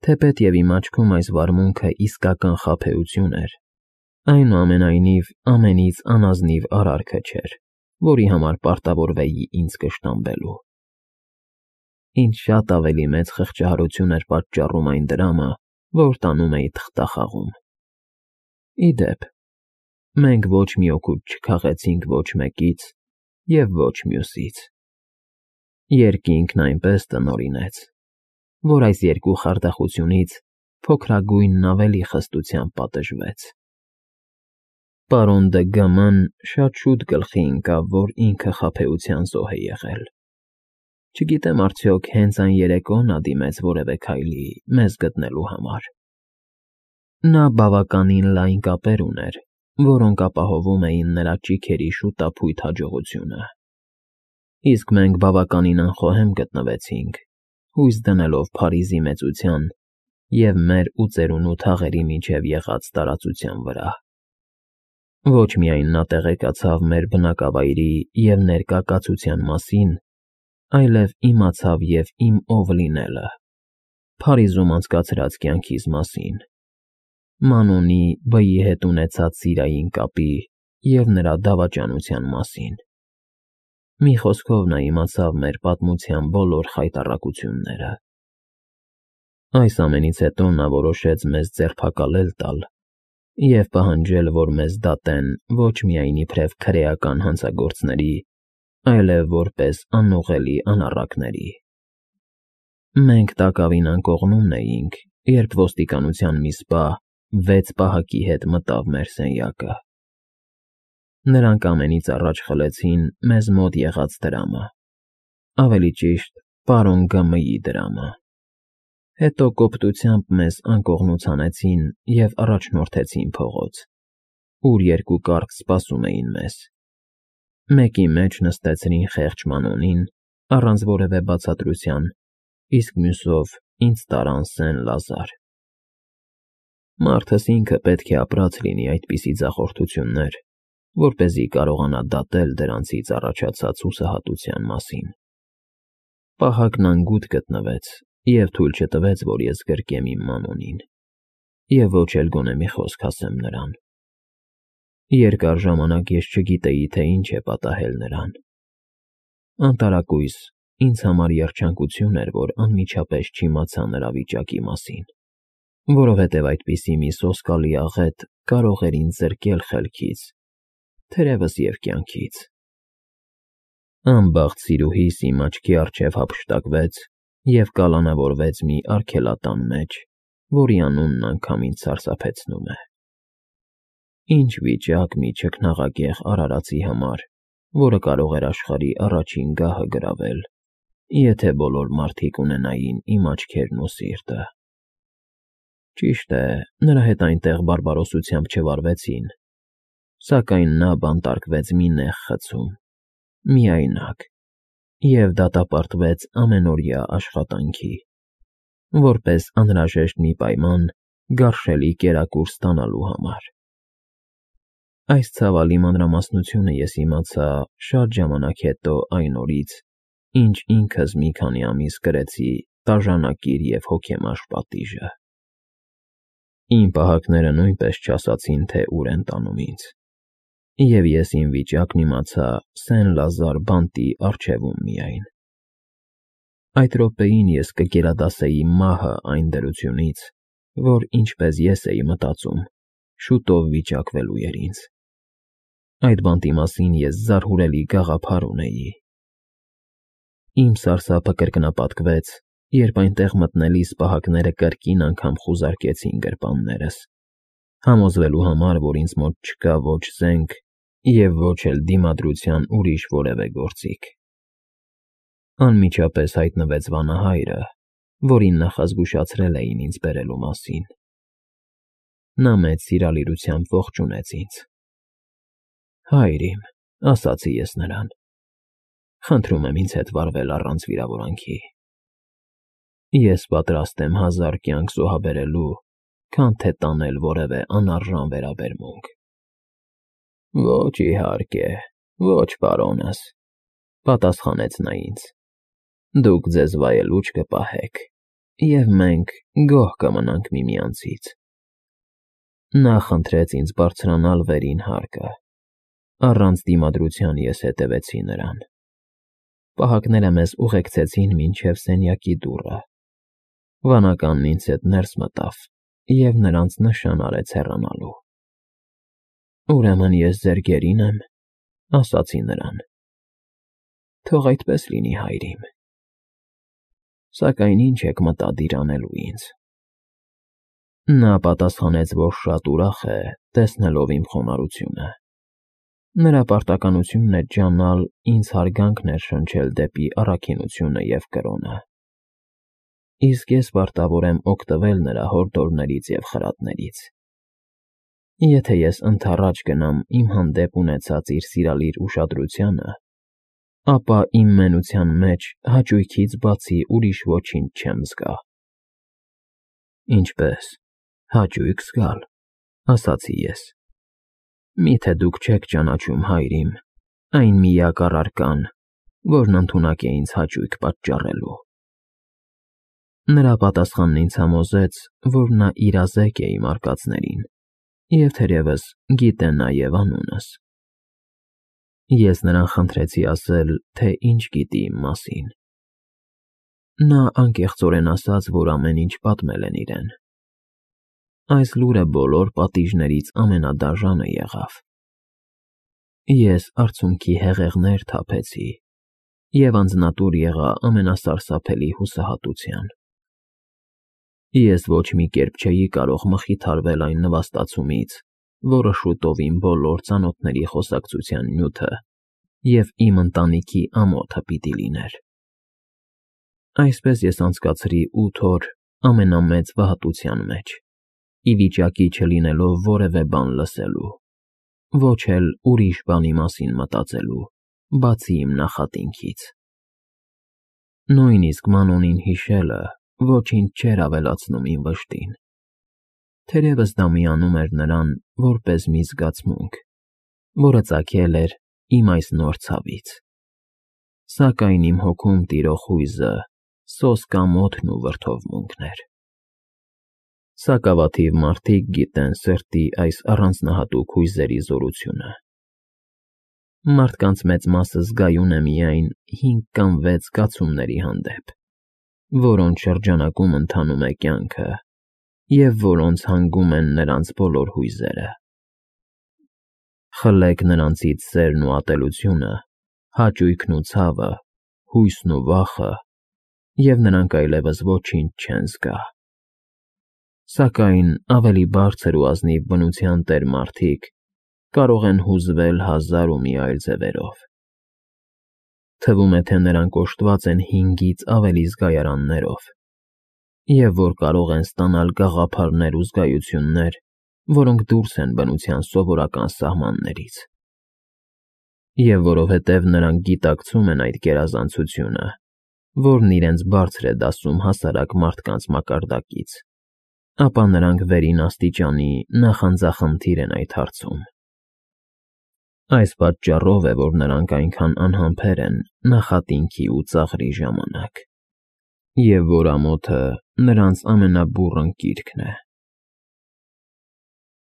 Թեպետ և իմ աչքում այս վարմունքը իսկական խաբեություն էր, այնուամենայնիվ ամենից անազնիվ արարքը չէր, որի համար պարտավորվեի ինձ կշտամբելու։ Ինձ շատ ավելի մեծ խղճահարություն էր պատճառում այն դրամը, որ տանում էի թղթախաղում։ Ի դեպ, մենք ոչ մի օգուտ չքաղեցինք ոչ մեկից և ոչ մյուսից։ Երկինքն այնպես տնօրինեց, որ այս երկու խարդախությունից փոքրագույնն ավելի խստությամբ պատժվեց։ Պարոն դը Գ.Մ.-ն շատ շուտ գլխի ընկավ, որ ինքը խաբեության զոհ է եղել։ Չգիտեմ արդյոք հենց այն երեկո նա դիմեց որևէ քայլի մեզ գտնելու համար։ Նա բավականին լայն կապեր ուներ, որոնք ապահովում էին նրա ճիգերի շուտափույթ հաջողությունը, իսկ մենք բավականին անխոհեմ գտնվեցինք, հույս դնելով Փարիզի մեծության և մեր ու ծերունու թաղերի միջև եղած տարածության վրա։ Ոչ միայն նա տեղեկացավ մեր բնակավայրի և ներկա կացության մասին, այլև իմացավ և իմ ով լինելը, Փարիզում անցկացրած կյանքիս մասին, Մանոնի B.-ի հետ ունեցած սիրային կապի և նրա դավաճանության մասին։ Մի խոսքով նա իմացավ մեր պատմության բոլոր խայտառակությունները։ Այս ամենից հետո նա որոշեց մեզ ձերբակալել տալ և պահանջել, որ մեզ դատեն ոչ միայն իբրև քրեական հանցագործների, այլև որպես անուղղելի անառակների։ Մենք տակավին անկողնում էինք, երբ ոստիկանության մի սպա 6 պահակի հետ մտավ մեր սենյակը։ Նրանք ամենից առաջ խլեցին մեզ մոտ եղած դրամը, ավելի ճիշտ, պարոն Գ.Մ.-ի դրամը։ Հետո կոպտությամբ մեզ անկողնուց հանեցին և առաջնորդեցին փողոց, ուր երկու կառք սպասում էին մեզ։ Մեկի մեջ նստեցրին խեղճ Մանոնին առանց որևէ բացատրության, իսկ մյուսով ինձ տարան Սեն֊Լազար։ Մարդս ինքը պետք է ապրած լինի այդպիսի ձախորդություններ, որպեսզի կարողանա դատել դրանցից առաջացած հուսահատության մասին։ Պահակն անգութ գտնվեց և թույլ չտվեց, որ ես գրկեմ իմ Մանոնին և ոչ էլ գոնե մի խոսք ասեմ նրան։ Երկար ժամանակ ես չգիտեի, թե ինչ է պատահել նրան։ Անտարակույս ինձ համար երջանկություն էր, որ անմիջապես չիմացա նրա վիճակի մասին, որովհետև այդպիսի մի սոսկալի աղետ կարող էր ինձ զրկել խելքից, թերևս և կյանքից։ Անբախտ սիրուհիս իմ աչքի առջև հափշտակվեց և կալանավորվեց մի արգելատան մեջ, որի անունն անգամ ինձ սարսափեցնում է։ Ինչ վիճակ մի չքնաղակեղ արարածի համար, որը կարող էր աշխարհի առաջին գահը գրավել, եթե բոլոր մարդիկ ունենային իմ աչքերն ու սիրտը։ Ճիշտ է, նրա հետ այնտեղ բարբարոսությամբ չվարվեցին, սակայն նա բանտարկվեց մի նեղ խցում, միայնակ, և դատապարտվեց ամենօրյա աշխատանքի, որպես անհրաժեշտ մի պայման գարշելի կերակուր ստանալու համար։ Այս ցավալի մանրամասնությունը ես իմացա շատ ժամանակ հետո այն օրից, ինչ ինքս մի քանի ամիս կրեցի տաժանակիր և հոգեմաշ պատիժը։ Իմ պահակները նույնպես չասացին, թե ուր են տանում ինձ, և ես իմ վիճակն իմացա Սեն֊Լազար բանտի առջևում միայն։ Այդ րոպեին ես կգերադասեի մահը այն դրությունից, որ, ինչպես ես էի մտածում, շուտով վիճակվելու էր ինձ։ Այդ բանտի մասին ես զարհուրելի գաղափար ունեի։ Իմ սարսափը կրկնապատկվեց, երբ այնտեղ մտնելիս պահակները կրկին անգամ խուզարկեցին գրպաններս, համոզվելու համար, որ ինձ մոտ չկա ոչ զենք և ոչ էլ դիմադրության ուրիշ որևէ գործիք։ Անմիջապես հայտնվեց վանահայրը, որին նախազգուշացրել էին ինձ բերելու մասին։ Նա մեծ սիրալիրությամբ ողջունեց ինձ։ «Հայր իմ», ասացի ես նրան, «խնդրում եմ ինձ հետ վարվել առանց վիրավորանքի։ Ես պատրաստ եմ 1000 կյանք զոհաբերելու, քան թե տանել որևէ անարժան վերաբերմունք»։ «Ոչ, իհարկե, ոչ, պարոնս», պատասխանեց նա ինձ, «դուք ձեզ վայելուչ կպահեք և մենք գոհ կմնանք միմյանցից։ Նա խնդրեց ինձ բարձրանալ վերին հարկը։ Առանց դիմադրության ես հետևեցի նրան։ Պահակները մեզ ուղեկցեցին մինչև սենյակի դուռը։ Վանականն ինձ հետ ներս մտավ և նրանց նշան արեց հեռանալու։ «Ուրեմն ես ձեր գերին եմ», ասացի նրան։ «Թող այդպես լինի, հայր իմ։ Սակայն ի՞նչ եք մտադիր անելու ինձ»։ Նա պատասխանեց, որ շատ ուրախ է, տեսնելով իմ խոնարհությունը։ Նրա պարտականությունն էր ջանալ, ինձ հարգանքն էր շնչել դեպի առաքինությունը և կրոնը։ Իսկ ես պարտավոր եմ օգտվել նրա հորդորներից և խրատներից։ Եթե ես ընդառաջ գնամ իմ հանդեպ ունեցած իր սիրալիր ուշադրությանը, ապա իմ մենության մեջ հաճույքից բացի ուրիշ ոչինչ չեմ զգա։ «Ինչպե՞ս, հաճույք զգալ», ասացի ես։ «Մի՞թե դուք չեք ճանաչում, հայր իմ, այն միակ առարկան, որն ընդունակ է ինձ հաճույք պատճառելու»։ Նրա պատասխանն ինձ համոզեց, որ նա իրազեկ է իմ արկածներին և թերևս գիտե նաև անունս։ Ես նրան խնդրեցի ասել, թե ինչ գիտի իմ մասին։ Նա անկեղծորեն ասաց, որ ամեն ինչ պատմել են իրեն։ Այս լուրը բոլոր պատիժներից ամենադաժանը եղավ։ Ես արցունքի հեղեղներ թափեցի և անձնատուր եղա ամենասարսափելի հուսահատության։ Ես ոչ մի կերպ չէի կարող մխիթարվել այն նվաստացումից, որը շուտով իմ բոլոր ծանոթների խոսակցության նյութը և իմ ընտանիքի ամոթը պիտի լիներ։ Այսպես ես անցկացրի 8 օր ամենամեծ վհատության մեջ, ի վիճակի չլինելով որևէ բան լսելու, ոչ էլ ուրիշ բանի մասին մտածելու, բացի իմ նախատինքից։ Նույնիսկ Մանոնին հիշելը ոչինչ չէր ավելացնում իմ վշտին։ Թերևս դա միանում էր նրան որպես մի զգացմունք, որը ծագել էր իմ այս նոր ցավից։ Սակայն իմ հոգում տիրող հույզը սոսկ ամոթն ու վրդովմունքն էր։ Սակավաթիվ մարդիկ գիտեն սրտի այս առանձնահատուկ հույզերի զորությունը։ Մարդկանց մեծ մասը զգայուն է միայն 5 կամ 6 զգացումների հանդեպ, որոնց շրջանակում ընթանում է կյանքը և որոնց հանգում են նրանց բոլոր հույզերը։ Խլեք նրանցից սերն ու ատելությունը, հաճույքն ու ցավը, հույսն ու վախը, և նրանք այլևս ոչինչ չեն զգա։ Սակայն ավելի բարձր ու ազնիվ բնության տեր մարդիկ կարող են հուզվել 1000 ու մի այլ ձևերով։ Թվում է, թե նրանք օժտված են 5-ից ավելի զգայարաններով, և որ կարող են ստանալ գաղափարներ ու զգայություններ, որոնք դուրս են բնության սովորական սահմաններից։ Եվ որովհետև նրանք գիտակցում են այդ գերազանցությունը, որն իրենց բարձր է դասում հասարակ մարդկանց մակարդակից, ապա նրանք վերին աստիճանի նախանձախնդիր են այդ հարցում։ Այս պատճառով է, որ նրանք այնքան անհամբեր են նախատինքի ու ծաղրի ժամանակ, և որ ամոթը նրանց ամենաբուռն կիրքն է։